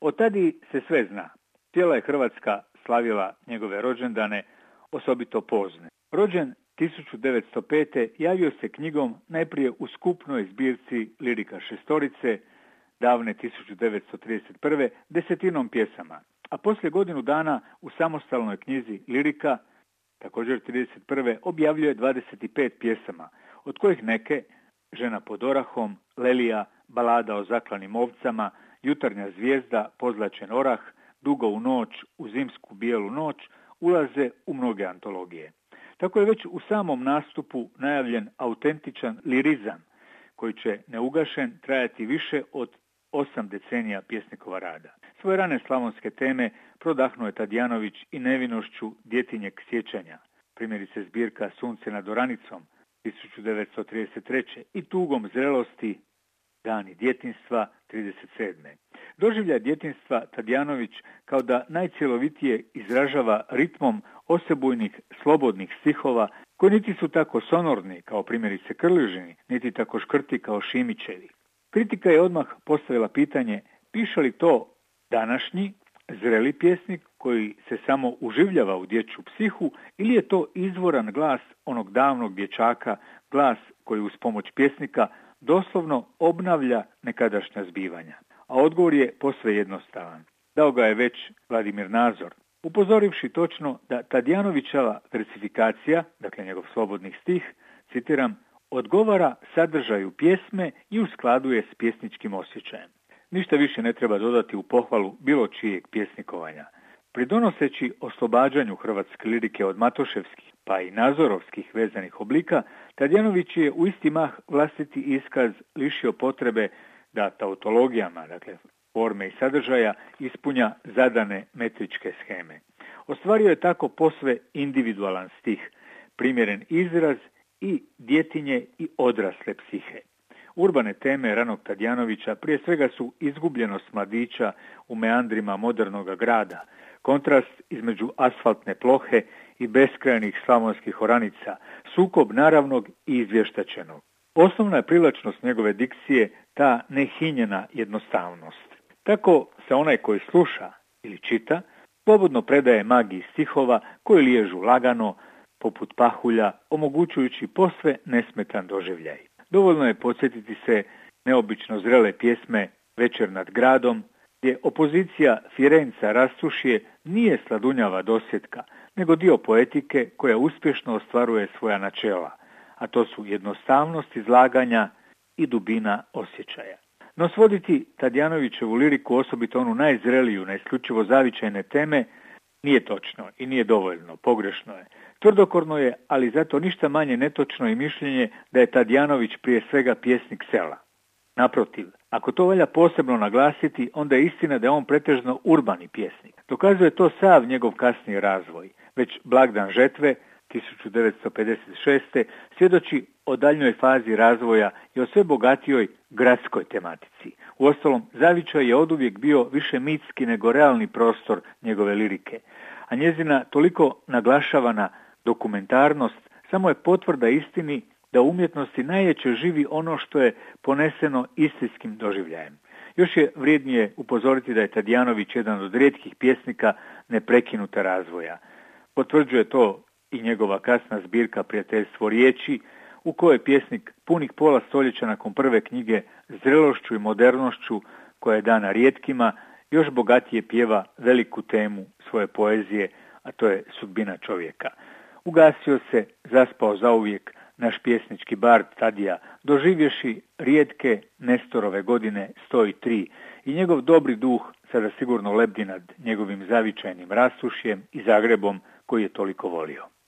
Od tada se sve zna. Cijela je Hrvatska slavila njegove rođendane, osobito pozne. Rođen 1905. javio se knjigom najprije u skupnoj zbirci Lirika šestorice, davne 1931. 10 pjesama, a poslije godinu dana u samostalnoj knjizi Lirika, također 1931. objavljuje 25 pjesama, od kojih neke Žena pod orahom, Lelija, Balada o zaklanim ovcama, Jutarnja zvijezda, Pozlačen orah, Dugo u noć, U zimsku bijelu noć ulaze u mnoge antologije. Tako je već u samom nastupu najavljen autentičan lirizam koji će neugašen trajati više od 8 decenija pjesnikova rada. Svoje rane slavonske teme prodahnuo je Tadijanović i nevinošću djetinjeg sjećanja, primjerice zbirka Sunce nad oranicom 1933. i Tugom zrelosti Dani djetinjstva 1937. Doživljaj djetinjstva Tadijanović kao da najcjelovitije izražava ritmom osebujnih slobodnih stihova koji niti su tako sonorni kao primjerice Krležini, niti tako škrti kao Šimićevi. Kritika je odmah postavila pitanje piše li to današnji zreli pjesnik koji se samo uživljava u dječju psihu ili je to izvoran glas onog davnog dječaka, glas koji uz pomoć pjesnika doslovno obnavlja nekadašnja zbivanja. A odgovor je posve jednostavan. Dao ga je već Vladimir Nazor, upozorivši točno da Tadijanovićeva versifikacija, dakle njegov slobodnih stih, citiram, odgovara sadržaju pjesme i u skladu je s pjesničkim osjećajem. Ništa više ne treba dodati u pohvalu bilo čijeg pjesnikovanja. Pridonoseći oslobađanju hrvatske lirike od matoševskih pa i nazorovskih vezanih oblika, Tadijanović je u isti mah vlastiti iskaz lišio potrebe da tautologijama, dakle forme i sadržaja, ispunja zadane metričke sheme. Ostvario je tako posve individualan stih, primjeren izraz i djetinje i odrasle psihe. Urbane teme ranog Tadijanovića prije svega su izgubljenost mladića u meandrima modernog grada, kontrast između asfaltne plohe i beskrajnih slavonskih oranica, sukob naravnog i izvještačenog. Osnovna je privlačnost njegove dikcije ta nehinjena jednostavnost. Tako se onaj koji sluša ili čita slobodno predaje magiji stihova koji liježu lagano, poput pahulja, omogućujući posve nesmetan doživljaj. Dovoljno je podsjetiti se neobično zrele pjesme Večer nad gradom, gdje opozicija Firenca Rastušije nije sladunjava dosjetka, nego dio poetike koja uspješno ostvaruje svoja načela, a to su jednostavnost izlaganja i dubina osjećaja. No svoditi Tadijanovićevu liriku, osobito onu najzreliju na isključivo zavičajne teme, nije točno i nije dovoljno, pogrešno je. Tvrdokorno je, ali zato ništa manje netočno i mišljenje da je Tadijanović prije svega pjesnik sela. Naprotiv, ako to valja posebno naglasiti, onda je istina da je on pretežno urbani pjesnik. Dokazuje to sav njegov kasniji razvoj. Već Blagdan žetve 1956. svjedoči o daljnjoj fazi razvoja i o sve bogatijoj gradskoj tematici. Uostalom, zavičaj je oduvijek bio više mitski nego realni prostor njegove lirike, a njezina toliko naglašavana dokumentarnost samo je potvrda istini da u umjetnosti najjače živi ono što je poneseno istinskim doživljajem. Još je vrijednije upozoriti da je Tadijanović jedan od rijetkih pjesnika neprekinuta razvoja. Potvrđuje to i njegova kasna zbirka Prijateljstvo riječi, u kojoj pjesnik punih pola stoljeća nakon prve knjige zrelošću i modernošću koja je dana rijetkima, još bogatije pjeva veliku temu svoje poezije, a to je sudbina čovjeka. Ugasio se, zaspao zauvijek naš pjesnički bard Tadija, doživješi rijetke Nestorove godine 103 i njegov dobri duh sada sigurno lebdi nad njegovim zavičajnim Rastušjem i Zagrebom koji je toliko volio.